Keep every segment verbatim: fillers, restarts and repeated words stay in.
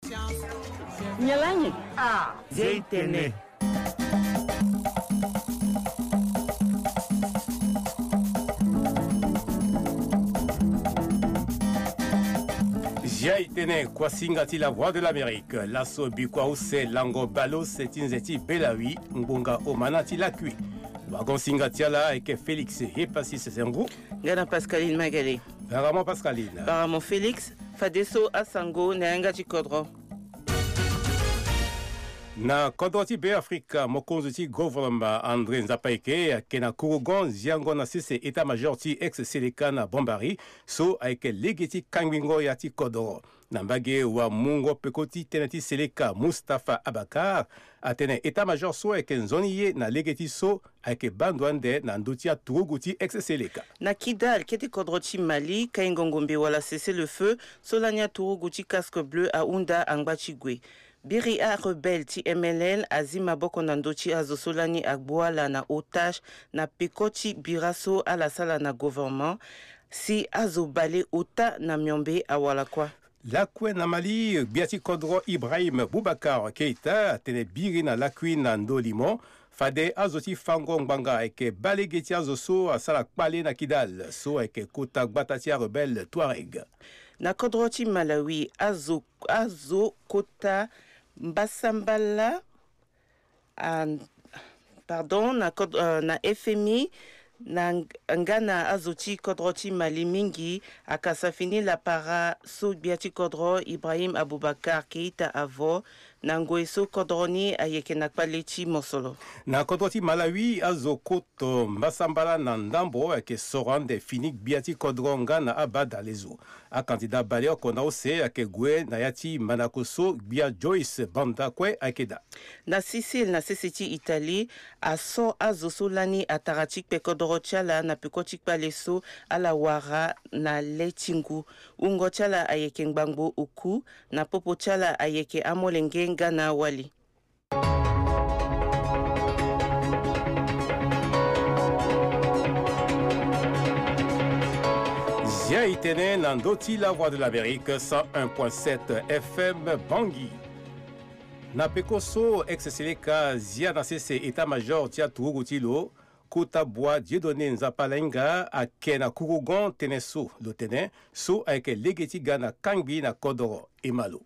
Nyen lani? Ah, Zia e tene. Zia e tene, kuasinga ti La Voix de l'Amérique. Laso bikua use lango baleuse ti nze ti Belawi, ngbonga omana ti lakui. Wagon-singa ti ala ayeke Félix Hepassis Zengo. Nga na Pascaline Magalé. Baramo Pascaline. Baramo Félix. Fadeso asango na yanga ti kodro. Na kodro ti Beafrika, mokonzi ti gouvernement André Nzapayeke ayeke na kurugon ziango na sese état-major ti ex-Seleka na Bombari, so ayeke lege ti kangbingo ya ti kodro. Na mbage wamungo peko ti tënë ti Seleka, Mustapha Abakar atene état-major so ayeke nzoni ye na lege ti so ayeke baa ndo ande na ndö ti aturugu ti ex-Seleka. Na Kidal, kete kodro ti Mali, kaingo ngombe wala cessez-le-feu so lani aturugu ti Casque Bleu ahunda angba ti gue. Biri arebelle ti M L L azi maboko na ndö ti azo so lani agbu ala na otage na peko ti bira so ala sala na gouvernement, si azo bale ota na miombe awara kuâ. Lakue na Mali, gbia ti kodro Ibrahim Boubacar Keita atene biri na lakui na ndö limo fade azo ti fango ngbanga ayeke baa lege ti azo so asara kpale na Kidal, so ayeke kota gbata ti arebelle Touareg. Na kodro ti Malawi, azo, azo kota mbasambala, ah, pardon, na kod-, euh, na F M I, na ng-, nga na azo ti kodro ti Mali mingi akasa fini lapara so gbia ti kodro Ibrahim Aboubacar Keita avo, na ngoi so kodro ni ayeke na kpale ti mosolo. Na kodro ti Malawi, azo koto mbasambala na ndambo ayeke soro ande fini gbia ti kodro nga na abadalezo. Akandida baleoko na use ayeke gue na ya ti mandako so gbia Joyce Banda kue ayeke daa. Na Sicile, na sese ti Italie, aso azo so lani atara ti kpe kodoro ti ala na peko ti kpale so ala wara na le ti ngu. Wungo ti ala ayeke ngbangbo oku, na popo ti ala ayeke amolenge nga na awali. Zia e tene na ndö ti La Voix de l'Amérique, cent un point sept F M Bangui. Na peko so ex-seleka zia na sese état-major ti aturugu ti lo, kota bua Dieudonné Nzapa Lainga ayeke na kurugon tënë so, lo tene so ayeke lege ti ga na kangbi na kodoro. E ma lo.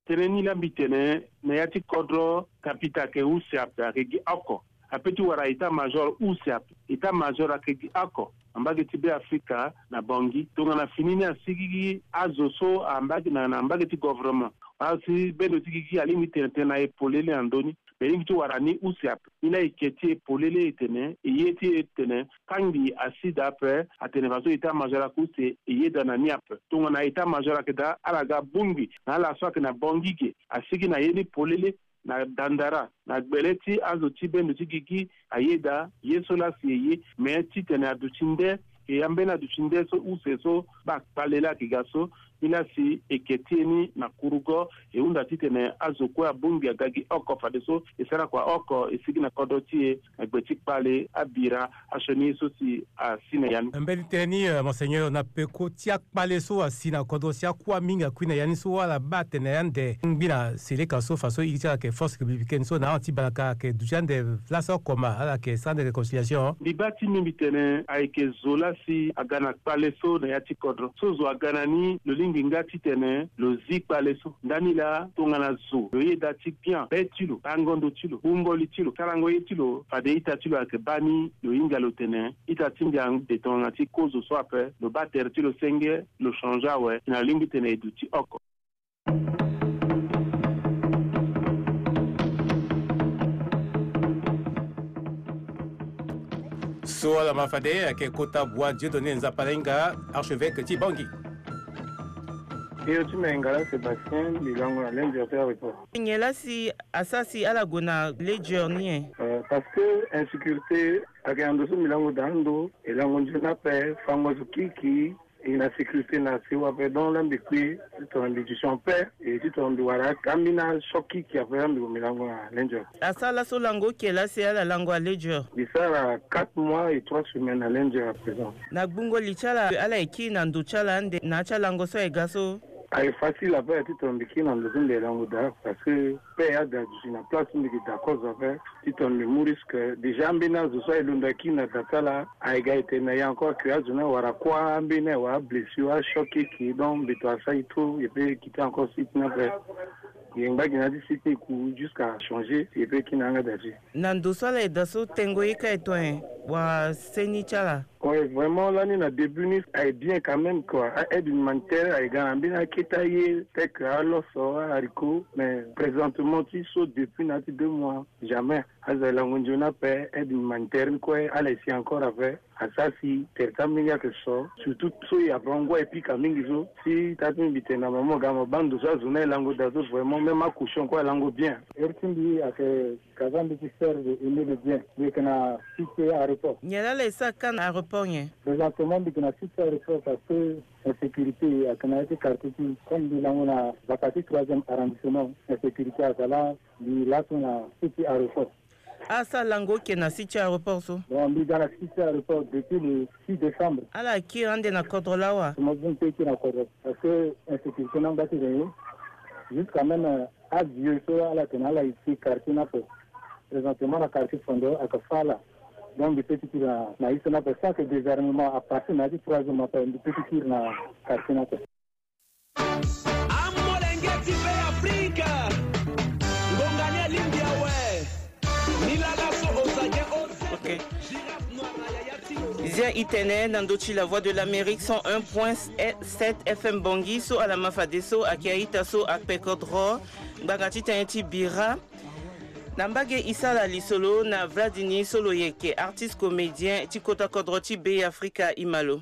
Tënë ni la mbi tene, na ya ti kodro kapita ayeke use ape, ayeke gi oko. Ape ti wara état-major use ape. État-major ayeke gi oko na mbage ti Beafrika na Bangui. Tongana fini ni asigigi azo so ambage na, na mbage ti gouvernement, asi bendo ti gigi alingbi tene tënë na e polele na ndö ni. Mbi lingbi ti wara ni use ape. Ni la e ke ti e polele e tene, e ye ti e tene, kangbi asi daa ape, atene faso état-major ayeke use, e yeda na ni ape. Tongana état-major ayeke daa, ala ga bongbi na ala so ayeke na Bangui ge, asigi na ye ni polele, na dandara, na gbele ti azo ti bendo ti gigi, ayeda ye so la si e ye, me titene aduti nde, e ambeni aduti nde so use so, baa kpale la ayeke ga so, ni la si e ke ti e ni na kurugo, e hunda titene azo kue abongbi aga gi oko fadeso, e sara kua oko, e sigi na kodro ti e, na gbe ti kpale, abira, asioni ye so si asi na ya ni. Mbeni tënë ni, euh, Monseigneur, na peko ti akpale so asi na kodro si akua mingi akui na ya ni so ala baa tene ande ngbi na seleka so faso iri ti ala ayeke force républicaine so na ahon ti balaka ayeke duti ande place oko ma ala yeke sara ande réconciliation. Mbi baa ti mbi mbi tene ayeke zo la si aga na kpale so na ya ti kodro. So zo aga na ni lo lingbi nga titene lo zi kpale so. Ndani laa tongana zo lo yeda ti bian be ti lo, bango ndo ti lo, bungoli ti lo, sarango ye ti lo, fade ita ti lo ayeke baa ni lo hinga lo tene ita ti ndia ande tongana ti kozo so ape, lo baa tere ti lo senge, lo change awe, si na lingbi tene e duti oko. So ala ma fade ayeke kota bua Dieudonné Nzapa Lainga, archevêque ti Bangui. Iri ti me Ngala Sébastien, mbi lango na Lendure ti aéroport. Nyen la si asara si ala gue na Lendure ni e? Euh, parce que insécurité ayeke na ndo so mbi lango daa ndo, e lango nzoni ape, fango zo kiki, e na sécurité na sewa ape. Donc la mbi kui titene mbi duti en paix, e titene mbi wara ambeni achoc kiki ape, la mbi gue mbi lango na Lendure. Asara laso lango oke la si ala lango na Lendure? Mbi sara quatre mois et trois semaines na Lendure à présent. Na gbungo li ti ala, ala yeke kiri na ndo ti ala ande na ya ti alango so aye ga so? Aye facile ape ti tongana mbi kiri na ndo so mbi yeke lango daa, parce que pe aye ada duti na place so mbi yeke daa kozo ape. Ti tongana mbi mu risque, déjà ambeni azo so aye londo akiri na da ti ala aye ga e tene na e encore que azo ni awara kua, ambeni aye wara ablessure, achoc eke, donc mbi to asara e trop, e pe quitté encore site ni ape. E ngba gi na ya ti site ni e ku jusqu'à changer, e pe kiri na yanga da ti e. Na ndo so ala yeda so tengo ye ka e to nyen wala seni ti ala? Ouais, vraiment lani na début ni aye bien quand même quoi. A-aide humanitaire aye ga na mbeni akete aye, tel que aloso, a-haricot, mais présentement ti so depuis na ya ti deux mois, jamais. Azo aye lango nzoni ape. Aide humanitaire ni kue ala ye si encore ape. Asara si tere ti ambeni ayeke so, surtout so e ape angu aye pika mingi so. Si taa ti mbi tene na mama ga mo baa ndo so azo ni aye lango daa so, vraiment même acouchon kue aye lango bien. Iri ti mbi ayeke Kazan, mbi ti sert de aîné de bien. Mbi yeke na site aéroport. Nyen laa ala ye sara ka na aéroport nyen? Présentement mbi yeke na site aéroport parce que insécurité ayeke na ya ti quartier ti, comme mbi lango na baka ti troisième arrondissement, insécurité ayeke laa. Mbi laso na site aéroport. Asara lango oke na site ti aéroport so? Bon, mbi ga na site ti aéroport depuis le six décembre. Ala kiri ande na kodro lawa? Mo bungbi ti kiri na kodro parce que insécurité ni angba ti ren ye. Jusqu'à même, euh, avieux so ala tene ala ye ti quartier ni ape. Présentement na quartier Fondo ayeke fâ ala. Donc mbi peut ti kiri na, na ye so ni ape. Sans que désarmement à partir na ya ti trois jours ni ape, mbi peut ti kiri na quartier ni ape. Amolenge ti Be Afrika. Ngonga ni alingbi awe. Ni lala so oza ge o. Ok. Zia e tene na ndö ti La Voix de l'Amérique cent un point sept F M Bangui so ala ma fadeso ayeke a-ita so akpe kodro ngbanga ti tënë ti bira. Na mbage e sara lisolo na Vladini so lo yeke artiste comédien ti kota kodro ti Be Afrika, e ma lo.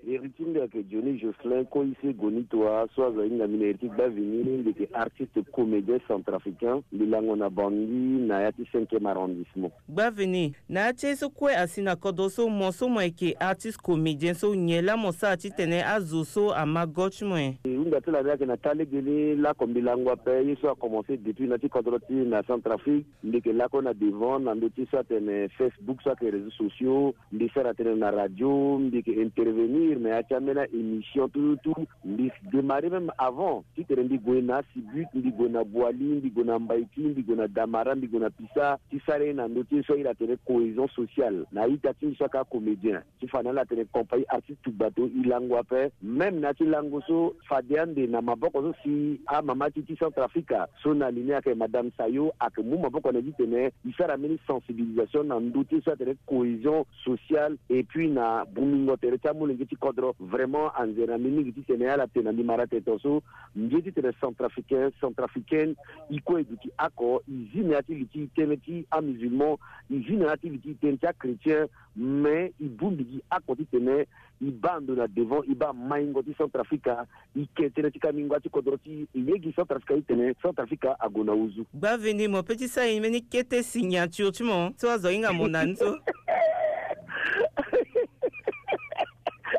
Iri ti mbi ayeke Johnny Jocelyn Koise Gonitoa so azo ahinga mbi na iri ti Gbavini. Mbi yeke artiste comédien centrafricain. Mbi lango na Bangui na ya ti cinquième arrondissement. Gbavini, na ya ti ye so kue asi na kodro so, mo so mo yeke artiste comédien so, nyen laa mo sara titene azo so ama go ti mo nyen? E hunda ti lani ayeke na taa lege ni lako mbi lango ape. Ye so akomanse depuis na ya ti kodro ti na Centrafrique. Mbi yeke lakue na devant na ndö ti so atene Facebook so ayeke réseaux sociaux. Mbi sara tënë na radio, mbi yeke intervenir na ya ti ambeni a-émission tout tout. Mbi démarrer même avant titene mbi gue na Sibut, mbi gue na Boali, mbi gue na Mbaïki, mbi gue na Damara, mbi gue na Pisa, ti sara ye na ndö ti ye so ahiri atene cohésion sociale na a-ita ti mbi so ayeke acomédien. Ti fa na ala atene compagnie artiste Tugbato e lango ape. Même na ya ti lango so fade ande na maboko so si amama ti ti Centrafrique so na li ni ayeke Madame Sayo ayeke mu maboko na e titene e sara mbeni sensibilisation na ndö ti ye so atene cohésion sociale et puis na bungbingo tere ti amolenge ti kodro. Vraiment anzere na mbi mingi titene ala tene na mbi mara tene tongaso. Mbi ye titene centrafricain, centrafricaine, e kue e duti oko, e zi na ya ti li ti tënë ti amusulman, e zi na ya ti li ti tënë ti achrétien, mais e bongbi gi oko titene e baa ndo na devant, e baa maingo ti Centrafrique, e ke tënë ti kamingo ti kodro ti e, e ye gi Centrafrique titene Centrafrique ague na ozu. Gbavini, mo peut ti sara e mbeni kete signature ti mo so azo ahinga mo na ni so.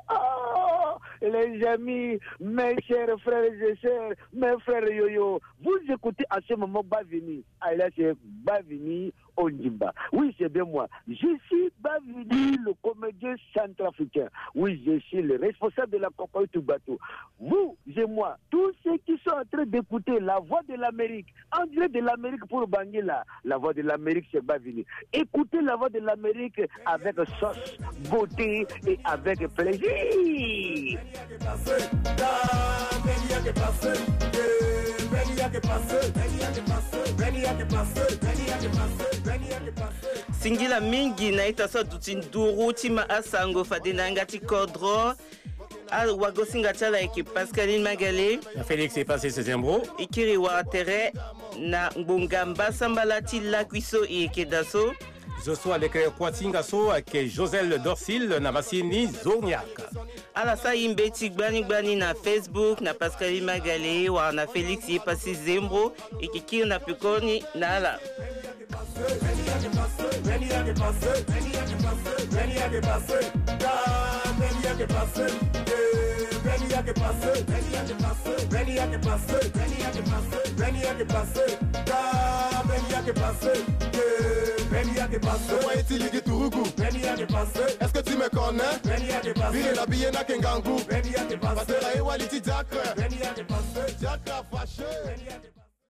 Oh, les amis, mes chers frères et sœurs, mes frères yoyo, vous écoutez à ce moment Gbavini, alias Gbavini Ondimba. Oui, c'est bien moi. Je suis Gbavini, le comédien centrafricain. Oui, je suis le responsable de la compagnie Tugbato. Vous et moi, tous ceux qui sont en train d'écouter la voix de l'Amérique, en direct de l'Amérique pour Bangui là, la voix de l'Amérique, c'est Gbavini. Écoutez la voix de l'Amérique avec sauce, beauté et avec plaisir. Singila mingi na ita so aduti nduru ti ma asango fade na yanga ti kodro. Awagosinga ti ala ayeke Pascaline Magale. Na Félix Epassi Zembro. E kiri wara tere na ngbonga mbasambala ti lakui so e yeke daa so. Zo so aleke kuâ ti hinga so ayeke Josel Dorsil na masini Zoniak. Ala sara e mbeti gbani gbani na Facebook na Pascaline Magale wala na Félix Epassi Zembro. E yeke kiri na pekoni na ala. Est-ce que tu me connais? Vire la biye na ke ngangu. Pasteur aye wali ti diacre. Diacre a fâché.